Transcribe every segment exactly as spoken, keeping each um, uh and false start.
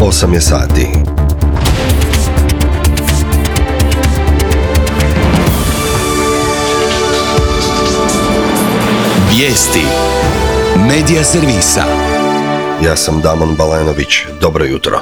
osam je sati. Vijesti Medija servisa. Ja sam Damon Balenović, dobro jutro.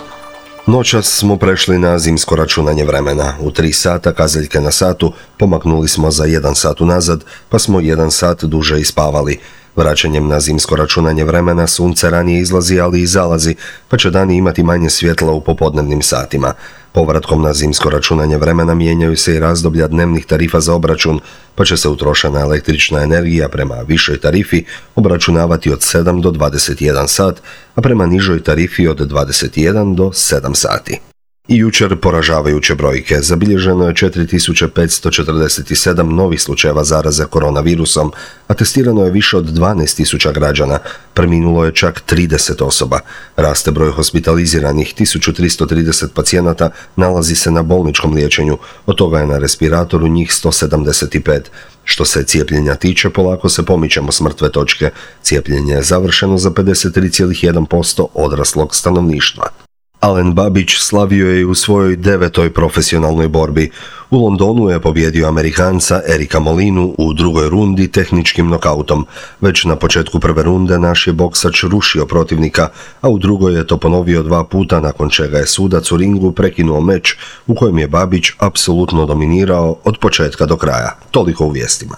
Noćas smo prešli na zimsko računanje vremena. U tri sata kazaljke na satu pomaknuli smo za jedan sat unazad, pa smo jedan sat duže ispavali. Vraćanjem na zimsko računanje vremena sunce ranije izlazi, ali i zalazi, pa će dani imati manje svjetla u popodnevnim satima. Povratkom na zimsko računanje vremena mijenjaju se i razdoblja dnevnih tarifa za obračun, pa će se utrošena električna energija prema višoj tarifi obračunavati od sedam do dvadeset jedan sat, a prema nižoj tarifi od dvadeset jedan do sedam sati. I jučer poražavajuće brojke. Zabilježeno je četiri tisuće petsto četrdeset sedam novih slučajeva zaraze koronavirusom, a testirano je više od dvanaest tisuća građana. Preminulo je čak trideset osoba. Raste broj hospitaliziranih, tisuću tristo trideset pacijenata nalazi se na bolničkom liječenju, od toga je na respiratoru njih sto sedamdeset pet. Što se cijepljenja tiče, polako se pomičemo s mrtve točke. Cijepljenje je završeno za pedeset tri zarez jedan posto odraslog stanovništva. Alen Babić slavio je u svojoj devetoj profesionalnoj borbi. U Londonu je pobjedio Amerikanca Erika Molinu u drugoj rundi tehničkim nokautom. Već na početku prve runde naš je boksač rušio protivnika, a u drugoj je to ponovio dva puta, nakon čega je sudac u ringu prekinuo meč u kojem je Babić apsolutno dominirao od početka do kraja. Toliko u vijestima.